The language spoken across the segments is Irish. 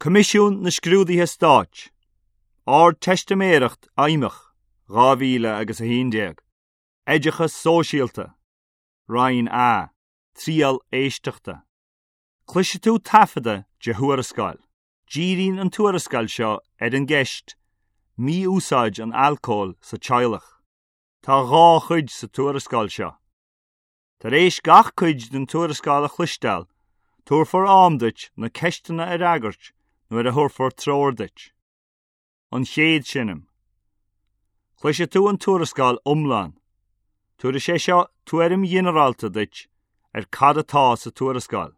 Coimisiún na Scrúduithe Stáit, Ardteistiméireacht Fheidhmeach 2011, Oideachas Sóisialta, Roinn A, Triail Éisteachta. Cloisfidh tú taifeadadh de thuarascáil. Díríonn an tuarascáil seo ar an gceist 'Mí-úsáid an alcóil sa teaghlach'. Tá dhá chuid sa tuarascáil seo. Tar éis gach cuid den tuarascáil a chloisteáil, tabharfar am duit na ceisteanna a fhreagairt nuair a thabharfar treoir duit. An chéad seinm. Cloisfidh tú an tuarascáil iomlán. Tabharfaidh sé seo tuairim ghinearálta duit ar cad atá sa tuarascáil.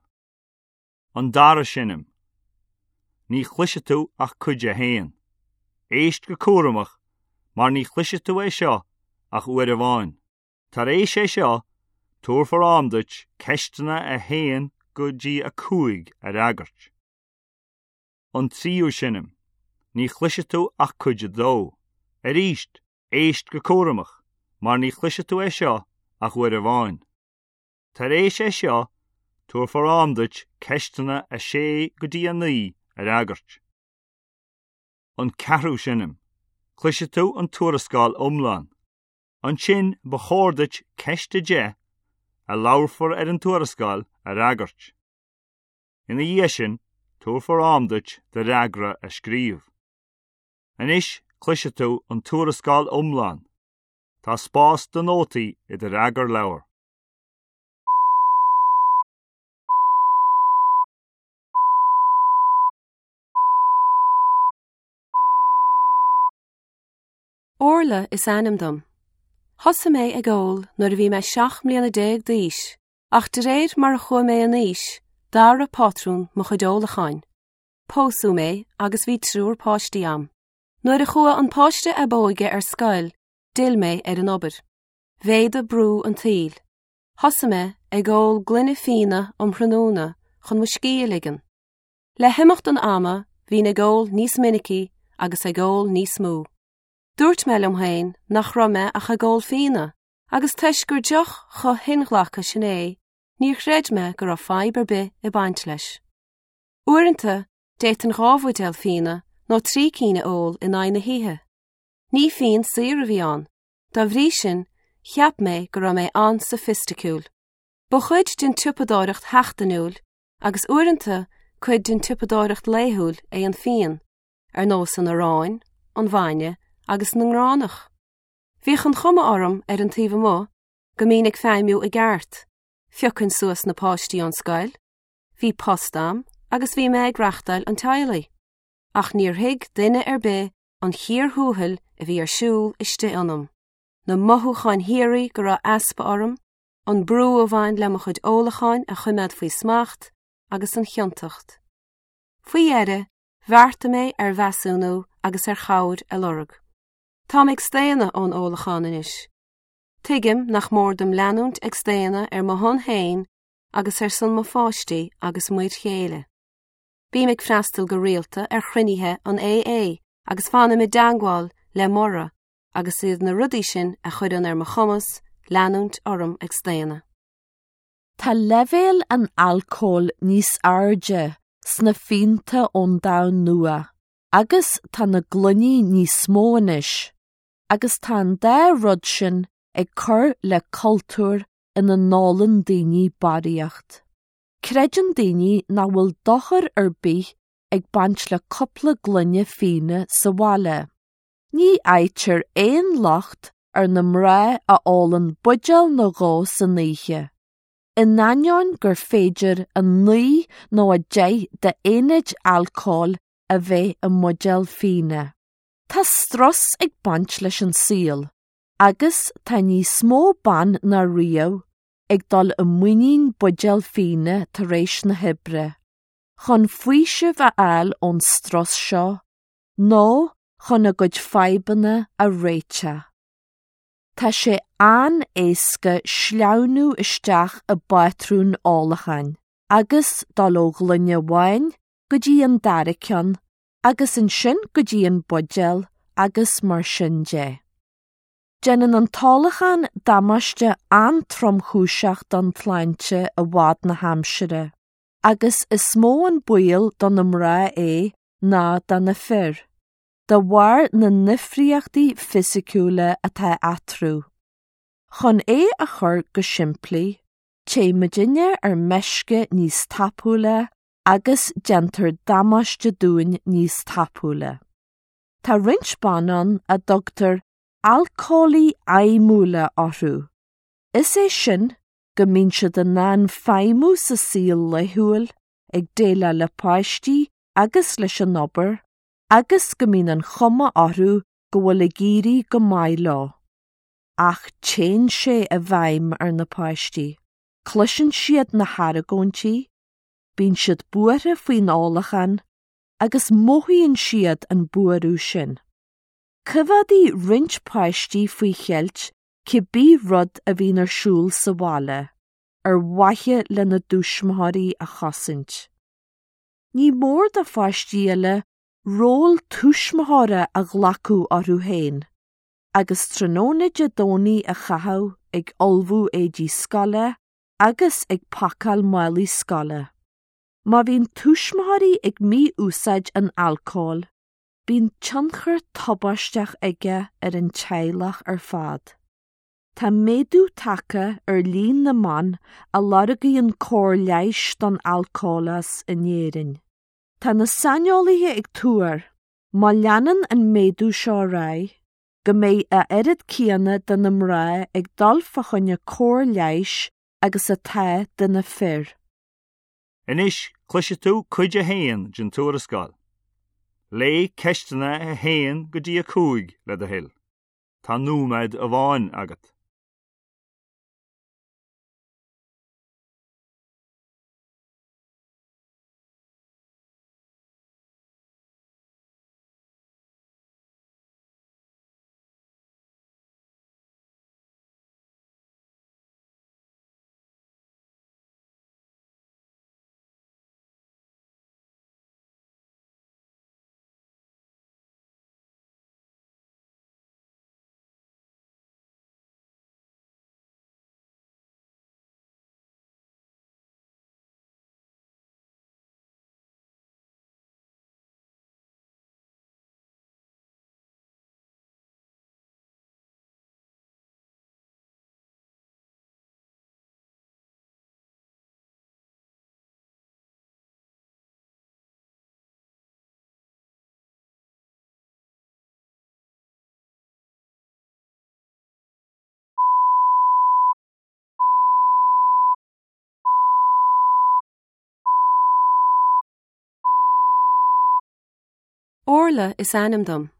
An dara seinm. Ní chloisfidh tú ach cuid a haon. Éist go cúramach mar ní chloisfidh tú é seo ach uair amháin. Tar éis é seo, tabharfar am duit ceisteanna 1 go dtí 5 a fhreagairt. An tríú seinm. Ní chloisfidh tú ach cuid a dó. Arís, éist go cúramach, mar ní chloisfidh tú é seo ach uair amháin. Tar éis é seo, tabharfar am duit ceisteanna 6 go dtí 9 a fhreagairt. An ceathrú seinm. Cloisfidh tú an tuarascáil iomlán. Ansin ba chóir duit ceist 10, a labharfar ar an tuarascáil, a fhreagairt. Ina dhiaidh sin, tabharfar am duit do fhreagra a scríobh. Anois cloisfidh tú an tuarascáil iomlán. Tá spás do nótaí i do fhreagarleabhar. Orla is ainm dom. Thosaigh mé ag ól nuair a bhí mé 17 mbliana d'aois, ach de réir mar a chuaigh mé in aois, d'athraigh pátrún mo chuid ólacháin. Pósadh mé agus bhí triúr páistí a'm. Nuair a chuaigh an páiste ab óige ar scoil, d'fhill mé ar an obair. Mhéadaigh brú an tsaoil. Thosaigh mé ag ól gloine fíona um thráthnóna chun mo scíth a ligean. Le himeacht an ama, bhínn ag ól níos minicí agus ag ól níos mó. Dúirt mé liom féin nach raibh mé ach ag ól fíona, agus toisc gur deoch chomh hinghlactha sin é, níor chreid mé go raibh fadhb ar bith ag baint leis. Uaireanta, d'fhéadfainn dhá bhuidéal fíona nó trí cinn a ól in aghaidh na hoíche. Ní fíon saor a bhí ann, dá bhrí sin, cheap mé go raibh mé an-soifisticiúil. Ba chuid den tsiopadóireacht sheachtainiúil, agus uaireanta cuid den tsiopadóireacht laethúil é an fíon, ar nós an aráin, an bhainne agus na ngránach. Bhíodh an chuma orm ar an taobh amuigh go mbínn ag feidhmiú i gceart, phiocfainn suas na páistí ón scoil, bhí post a'm agus bhí mé ag reachtáil an teaghlaigh. Ach níor thuig duine ar bith an chíor thuathail a bhí ar siúl istigh ionam, na mothúcháin shíoraí go raibh easpa orm, an brú a bhain le mo chuid ólacháin a choimeád faoi smacht agus an chiontacht. Faoi dheireadh, Bheartaigh mé ar mheasúnú agus ar chabhair a lorg. Táim ag staonadh ón ólachán anois. Tuigim nach mór dom leanúint ag staonadh ar mo shon féin agus ar son mo pháistí agus m'fhir chéile. Bím ag freastal go rialta ar chruinnithe an AA agus fanaim i dteangmháil le Maura agus is iad na rudaí sin a chuireann ar mo chumas leanúint orm ag staonadh. Tá leibhéal an alcóil níos airde sna fíonta ón Domhan Nua agus tá na gloiní níos mó anois, agus tá an dá rud sin ag cur le cultúr ina n-ólann daoine barraíocht. Creideann daoine nach bhfuil dochar ar bith ag baint le cúpla gloine fíona sa bhaile. Ní fhaightear aon locht ar na mná a ólann buidéal nó dhó san oíche, in ainneoin gur féidir 9 nó 10 d'aonaid alcóil a bheith i mbuidéal fíona. Tá strus ag baint leis an saol agus tá níos mó ban ná riamh ag dul i muinín buidéal fíona tar éis na hoibre, chun faoiseamh a fháil ón strus seo nó chun a gcuid fadhbanna a réiteach. Tá sé an-éasca sleamhnú isteach i bpátrún ólacháin agus dul ó ghloine amháin go dtí an dara ceann agus ansin go dtí an buidéal agus mar sin de. Déanann an t-ólachán damáiste an-tromchúiseach don tsláinte i bhfad na haimsire. Agus is mó an baol do na mná é ná do na fir, de bharr na ndifríochtaí fisiciúla atá eatarthu. Chun é a chur go simplí, téann muidinne ar meisce níos tapúla agus déantar damáiste dúinn níos tapúla. Tá roinnt ban ann a dtugtar alcólaigh fheidhmiúla orthu, is é sin go mbíonn siad in ann feidhmiú sa saol laethúil, ag déileáil le páistí agus leis an obair, agus go mbíonn an chuma orthu go bhfuil ag éirí go maith leo. Ach téann sé i bhfeidhm ar na páistí, cloiseann siad na hargóintí, bíonn siad buartha faoin ólachán agus mothaíonn siad an buaireamh sin. Coimheádfaidh roinnt páistí faoi cheilt cibé rud a bhíonn ar siúl sa bhaile, ar mhaithe lena dtuismitheoirí a chosaint. Ní mór do pháistí eile ról tuismitheora a ghlacadh orthu féin, agus tráthnóna Dé Domhnaigh a chaitheamh ag ullmhú éidí scoile agus ag pacáil málaí scoile. Má bhíonn tuismitheoirí ag mí-úsáid an alcóil, bíonn tionchar tubaisteach aige ar an teaghlach ar fad. Tá méadú tagtha ar líon na mban a lorgaíonn cóir leighis don alcólachas in Éirinn. Tá na saineolaithe ag tuar, má leanann an méadú seo ar aghaidh, go mbeidh a oiread céanna de na mná ag dul fá choinne cóir leighis agus atá de na fir. Anois cloisfidh tú cuid a haon den tuarascáil. Léigh ceisteanna 1 go dtí 5 le do thoil. Tá nóiméad amháin agat. Orla is ainm dom.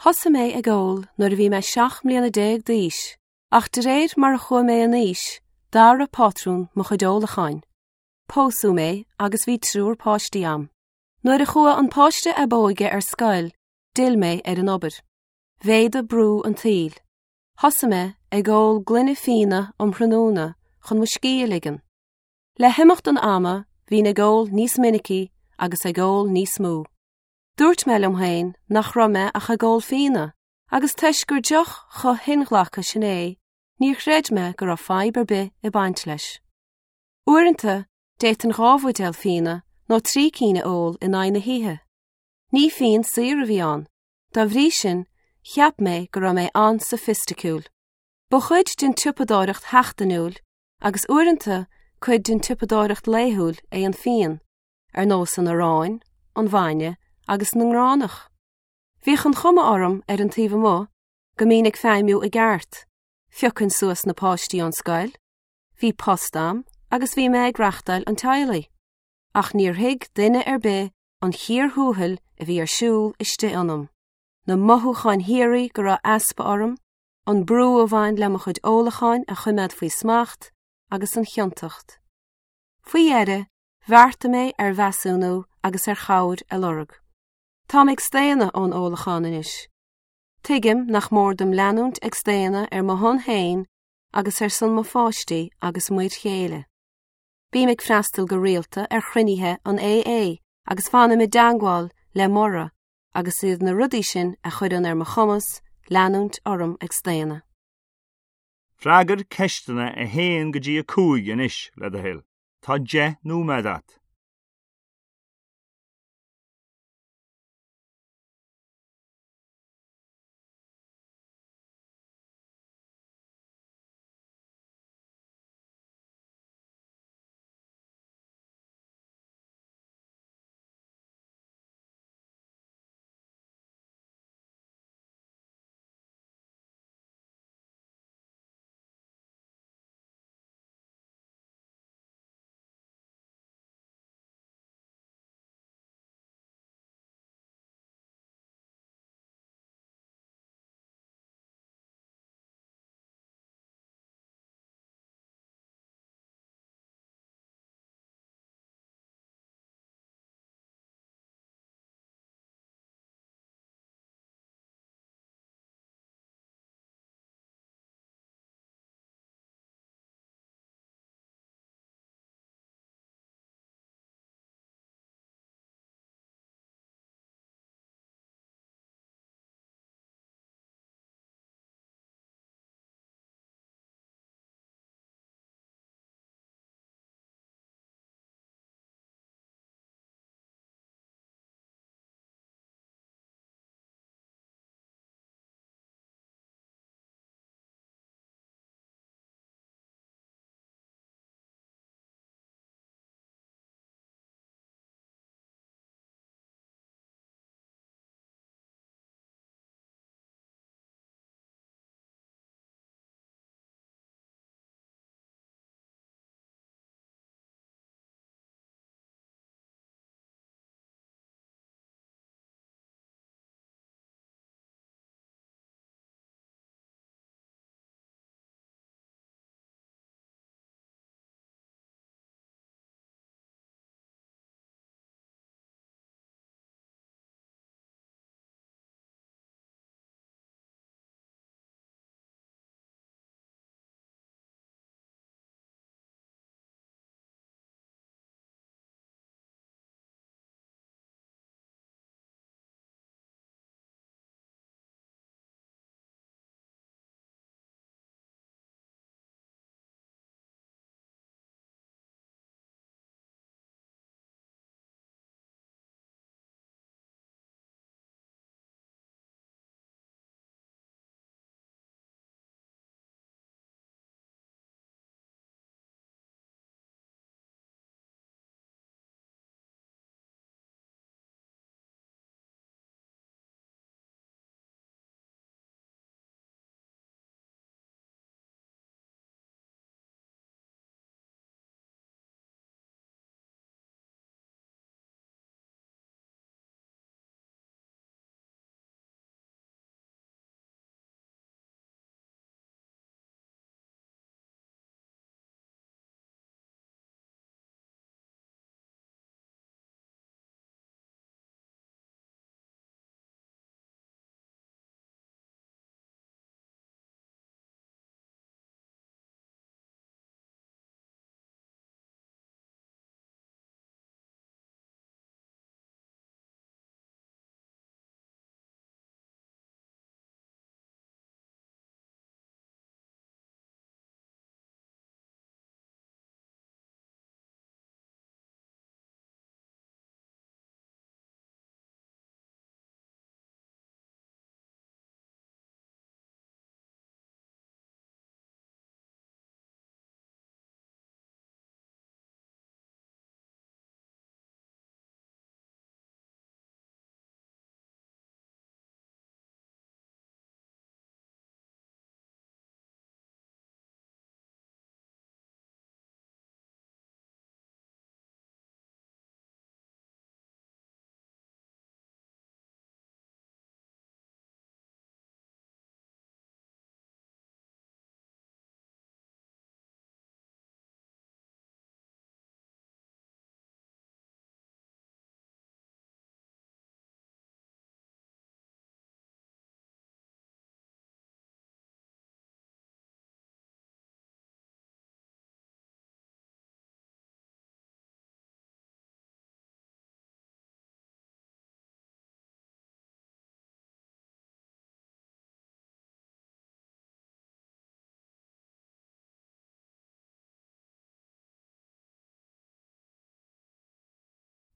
Thosaigh mé ag ól nuair a bhí mé 17 mbliana d'aois Ach de réir mar a chuaigh mé in aois, d'athraigh pátrún mo chuid ólacháin. Pósadh mé agus bhí triúr páistí a'm. Nuair a chuaigh an páiste ab óige ar scoil, d'fhill mé ar an obair. Mhéadaigh brú an tsaoil. Thosaigh mé ag ól gloine fíona um thráthnóna chun mo scíth a ligean. Le himeacht an ama, bhínn ag ól níos minicí agus ag ól níos mó. Dúirt mé liom féin nach raibh mé ach ag ól fíona, Agus toisc gur deoch chomh hinghlactha sin é, níor chreid mé go raibh fadhb ar bith ag baint leis. Uaireanta, d'fhéadfainn 2 bhuidéal fíona nó 3 cinn a ól in aghaidh na hoíche. Ní fíon saor a bhí ann, dá bhrí sin, cheap mé go raibh mé an-soifisticiúil. Ba chuid den tsiopadóireacht sheachtainiúil, agus uaireanta cuid den tsiopadóireacht laethúil é an fíon, ar nós an aráin, an bhainne agus na ngránach. Bhíodh an chuma orm ar an taobh amuigh go mbínn ag feidhmiú i gceart, phiocfainn suas na páistí ón scoil, bhí post a'm agus bhí mé ag reachtáil an teaghlaigh. Ach níor thuig duine ar bith an chíor thuathail a bhí ar siúl istigh ionam, na mothúcháin shíoraí go raibh easpa orm, an brú a bhain le mo chuid ólacháin a choimeád faoi smacht agus an chiontacht. Faoi dheireadh, bheartaigh mé ar mheasúnú agus ar chabhair a lorg. Táim ag staonadh ón ólachán anois. Tuigim nach mór dom leanúint ag staonadh ar mo shon féin agus ar son mo pháistí agus m'fhir chéile. Bím ag freastal go rialta ar chruinnithe an AA agus fanaim i dteagmháil le Maura agus is iad na rudaí sin a chuireann ar mo chumas leanúint orm ag staonadh. Freagair ceisteanna 1 go dtí 5 anois, le do thoil. Tá 10 nóiméad agat.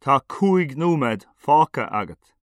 Tá 5 nóiméad fágtha agat.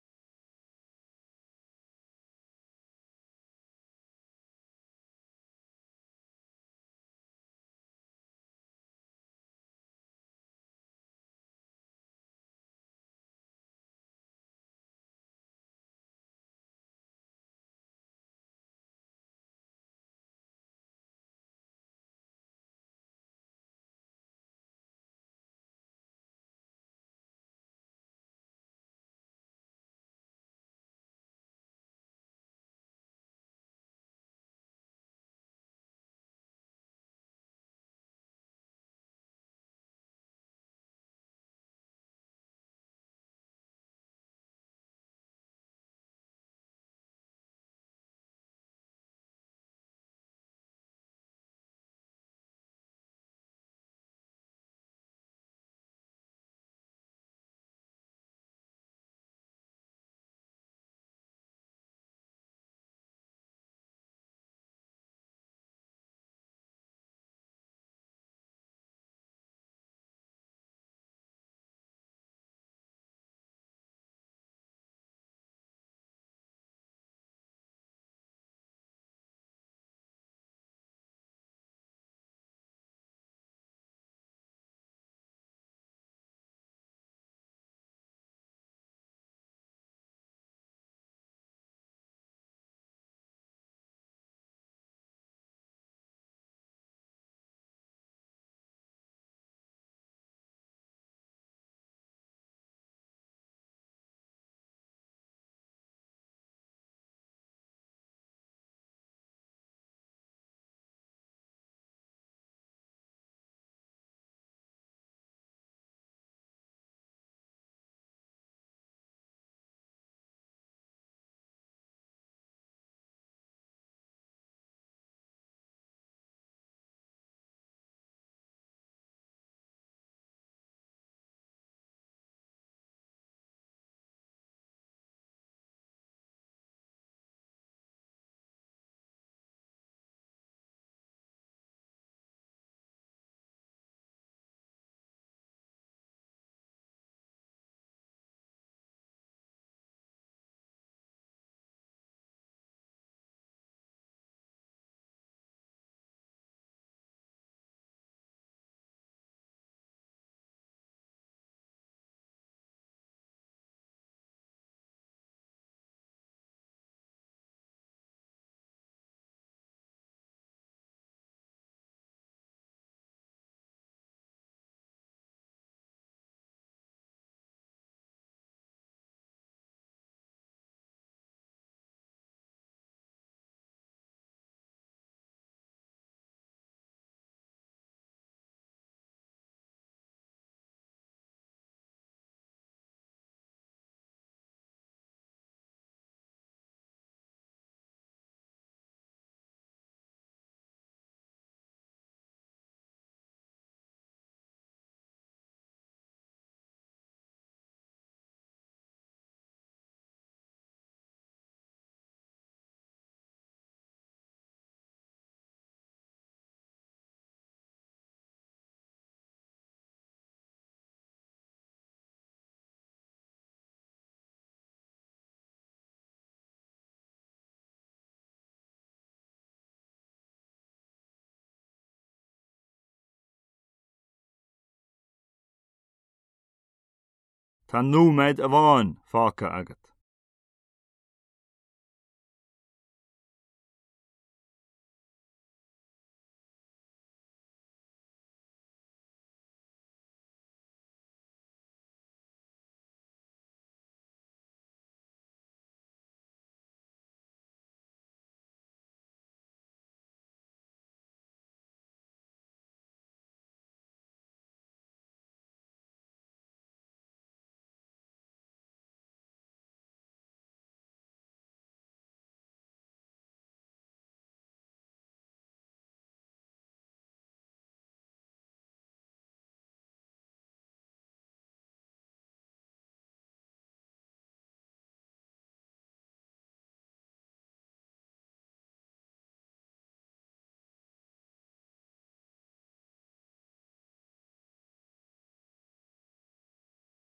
Tá nóiméad amháin fágtha agat.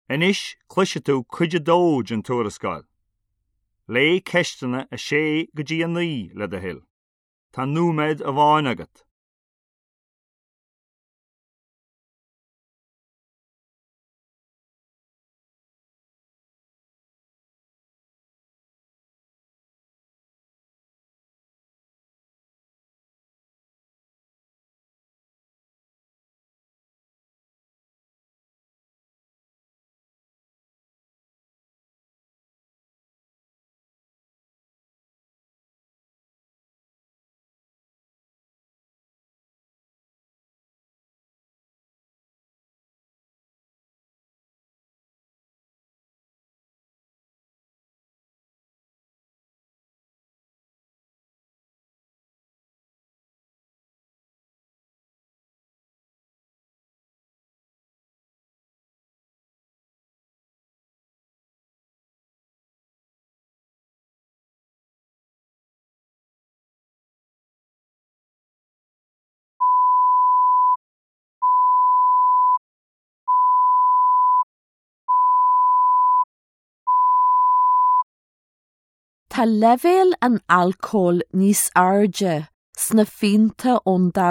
Anois cloisfidh tú cuid a dó den tuarascáil. Léigh ceisteanna 6 go dtí 9 le do thoil. Tá nóiméad amháin agat. Tá leibhéal an alcóil níos airde sna fíonta ón domhan.